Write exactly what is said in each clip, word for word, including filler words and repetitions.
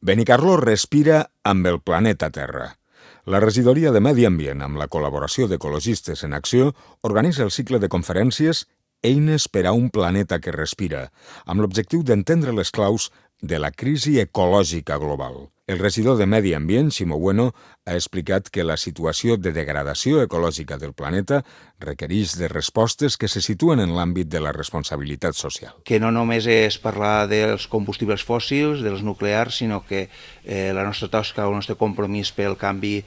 Benicarló respira amb el planeta Terra. La regidoria de Medi Ambient, amb la col·laboració d'Ecologistes en Acció, organitza el cicle de conferències Eines per a un planeta que respira, amb l'objectiu d'entendre les claus de la crisi ecològica global. El regidor de Medi Ambient, Ximo Bueno, ha explicat que la situació de degradació ecològica del planeta requereix de respostes que se situen en l'àmbit de la responsabilitat social. Que no només és parlar dels combustibles fòssils, dels nuclears, sinó que eh, la nostra tasca o el nostre compromís pel canvi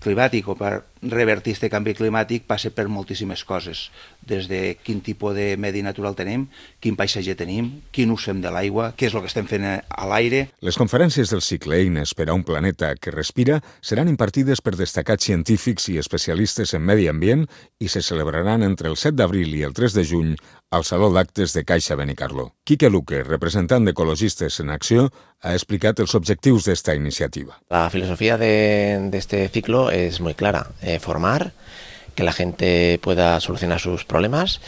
climàtic o per revertir aquest canvi climàtic passa per moltíssimes coses, des de quin tipus de medi natural tenim, quin paisatge tenim, quin ús fem de l'aigua, què és el que estem fent a l'aire. Les conferències del cicle Eines per a un planeta que respira seran impartides per destacats científics i especialistes en medi ambient i se celebraran entre el set d'abril i el tres de juny al Saló d'Actes de Caixa Benicarló. Quique Luque, representant d'Ecologistes en Acció, ha explicat els objectius d'esta iniciativa. La filosofía de, de este ciclo es muy clara, eh, formar, que la gente pueda solucionar sus problemas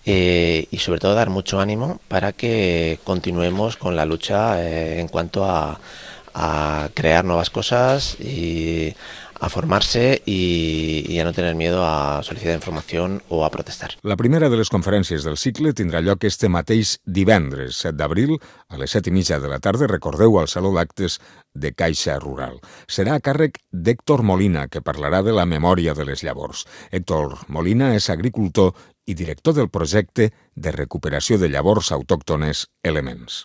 eh, y sobre todo dar mucho ánimo para que continuemos con la lucha eh, en cuanto a, a crear nuevas cosas y a formarse y, y a no tener miedo a solicitar información o a protestar. La primera de les conferències del cicle tindrà lloc este mateix divendres, set d'abril, a les set i mitja de la tarda, recordeu, al Saló d'Actes de Caixa Rural. Serà a càrrec d'Héctor Molina, que parlarà de la memòria de les llavors. Héctor Molina és agricultor i director del projecte de recuperació de llavors autòctones Elements.